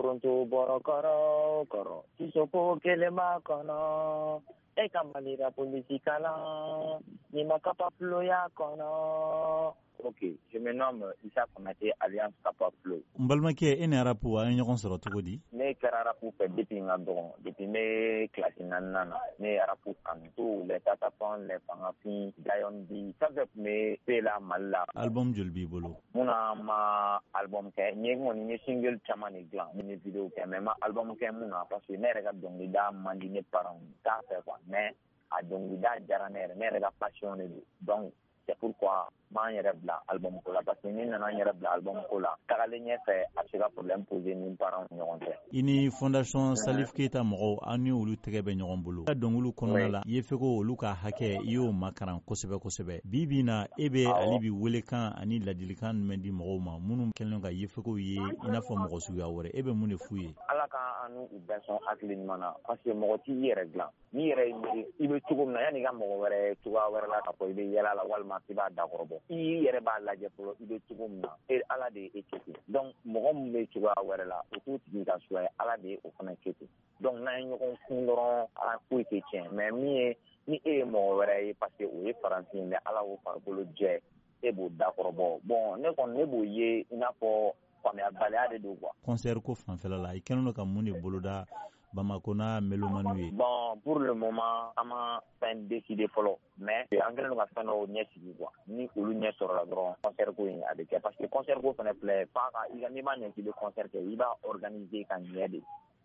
Foronto bɔrɔ kɔrɔ kɔrɔ, Sisoko kelen b'a kɔnɔ. E ka Mali rap politique kalan, ni ma Kapa Flow y'a kɔnɔ. Ok, je me nomme Issa Konate alias Kapa Flow. N balimakɛ, e ni rap, a ye ɲɔgɔn sɔrɔ cogo di? Ne kɛra rap fɛ depuis n ka dɔgɔn, depuis ne classe naaninan na ne ye rap kanu. Tout les Tatafan, les Fangafin, Lion B, fɛn fɛn tun bɛ pe la Mali la. Album joli b'i bolo? Mun na ma album kɛ? N ye kɔni, n ye single caman de dilan, n ye vidéo kɛ, mais n ma album kɛ. Mun na? Parce que ne yɛrɛ ka dɔnkilida man di ne parents ye, t'a fɛ quoi, mais a dɔnkilida diyara ne yɛrɛ, ne yɛrɛ ka passion de don. Donc c'est pourquoi n m'an yɛrɛ bila album ko la, parce que ni nana n yɛrɛ bila album ko la, tagalen ɲɛfɛ a bɛ se ka problème poser ni parents ni ɲɔgɔn cɛ. I ni Fondation Salif Keita mɔgɔw, aw ni olu tɛgɛ bɛ ɲɔgɔn bolo. I ka dɔnkiliw kɔnɔna la, i ye fɛ ko olu ka hakɛ, i y'o makaran kosɛbɛ kosɛbɛ. Bi bi na, e bɛ hali bi welekan ani ladilikan jumɛn di mɔgɔw ma minnu kɛlen ka yefekow ye i n'a fɔ mɔgɔ suguya wɛrɛ? E bɛ mun de f'u ye? Ala ka an n'u bɛɛ sɔn hakili ɲuman na, parce que mɔgɔ t'i yɛrɛ dilan. N'i yɛrɛ ye miiri i bɛ cogo min na, yanni i ka mɔgɔ wɛrɛ cogoya wɛrɛ la k'a fɔ i bɛ yɛlɛ a la walima k'i b'a dakɔrɔbɔ, i yɛrɛ b'a lajɛ fɔlɔ i bɛ cogo min na. E Ala de ye e kɛ ten. Donc mɔgɔ min bɛ cogoya wɛrɛ la, o t'o tigi ka choix ye, Ala de ye o fana kɛ ten. Donc n'an ye ɲɔgɔn kun dɔrɔn, ala foyi tɛ tiɲɛ. Mais min ye ni e ye mɔgɔ wɛrɛ ye, parce que o ye farafin ye, mais Ala y'o farikolo jɛ, e b'o dakɔrɔbɔ. Bon, ne kɔni, ne b'o ye i n'a fɔ faamuyabaliya de don quoi. Concert ko fanfɛla la, i kɛlen don ka mun de boloda Bamako n'a mélomane ye? Bon, pour le moment, an ma fɛn décidé fɔlɔ, mais an kɛlen don ka fɛn dɔw ɲɛ sigi quoi. Ni olu ɲɛ sɔrɔla dɔrɔn, concert ko in a bɛ kɛ, parce que concert ko fɛnɛ filɛ, f'a ka i ka, n'i b'a ɲɛ k'i bɛ concert kɛ, i b'a organiser ka ɲɛ de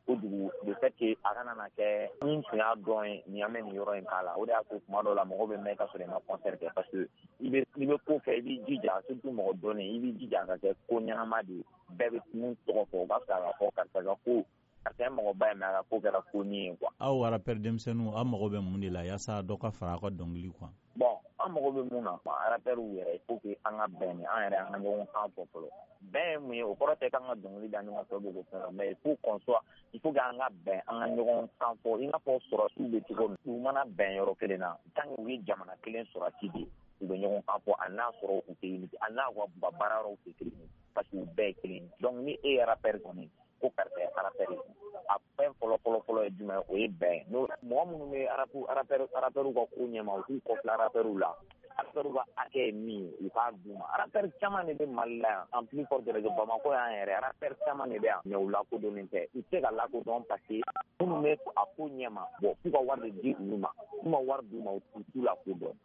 kojugu, de fait que a kana na kɛ ni tun y'a dɔn ye nin, an bɛ nin yɔrɔ in k'a la. O de y'a to tuma dɔw la mɔgɔw bɛ mɛn ka sɔrɔ i ma concert kɛ, parce que i bɛ ko kɛ, i b'i jija, surtout mɔgɔ dɔnnen, i b'i jija a ka kɛ ko ɲɛnama de ye, bɛɛ bɛ mun tɔgɔ fɔ, o ka fisa ka fɔ karisa ka ko, karisa ye mɔgɔba ye, mais a ka ko kɛra ko nin ye quoi. Aw rappeur denmisɛnninw, aw mago bɛ mun de la yaasa dɔ ka fara aw ka dɔnkili kan? Bon, an mago bɛ mun na, rappeurs yɛrɛ, il faut que an ka bɛn ni an yɛrɛ, an ka ɲɔgɔn kan fɔ fɔlɔ. Bɛn ye mun ye? O kɔrɔ tɛ k'an ka dɔnkili da ɲɔgɔn fɛ ko fɛn, mais il faut qu'on soit, il faut que an ka bɛn, an ka ɲɔgɔn kan fɔ, i n'a fɔ sɔrɔsiw bɛ cogo min. U mana bɛn yɔrɔ kelen na, tant que u ye jamana kelen sɔrɔsi de ye, u bɛ ɲɔgɔn kan fɔ, a n'a sɔrɔ u tɛ unité, a n'a u ka baara yɔrɔw tɛ kelen ye, parce que u bɛɛ ye kelen ye. Donc ni e ye rappeur kɔni, ko karisa ye rappeur ye, a fɛn fɔlɔ fɔlɔ fɔlɔ ye jumɛn? O ye bɛn. N'o mɔgɔ minnu bɛ rappeur rappeur ka ko ɲɛma, u k'u kɔfilɛ rappeur la. Rappeur ka hakɛ ye min ye, u k'a d'u ma. Rappeur caman de bɛ Mali la yan, en plus forte raison Bamakɔ yan yɛrɛ, rappeur caman de bɛ yan, mais u lakodɔnnen tɛ. U tɛ se ka lakodɔn parce que minnu bɛ a ko ɲɛma, bon, f'u ka wari de di olu ma. N'u ma wari d'u ma, u t'u lakodɔn.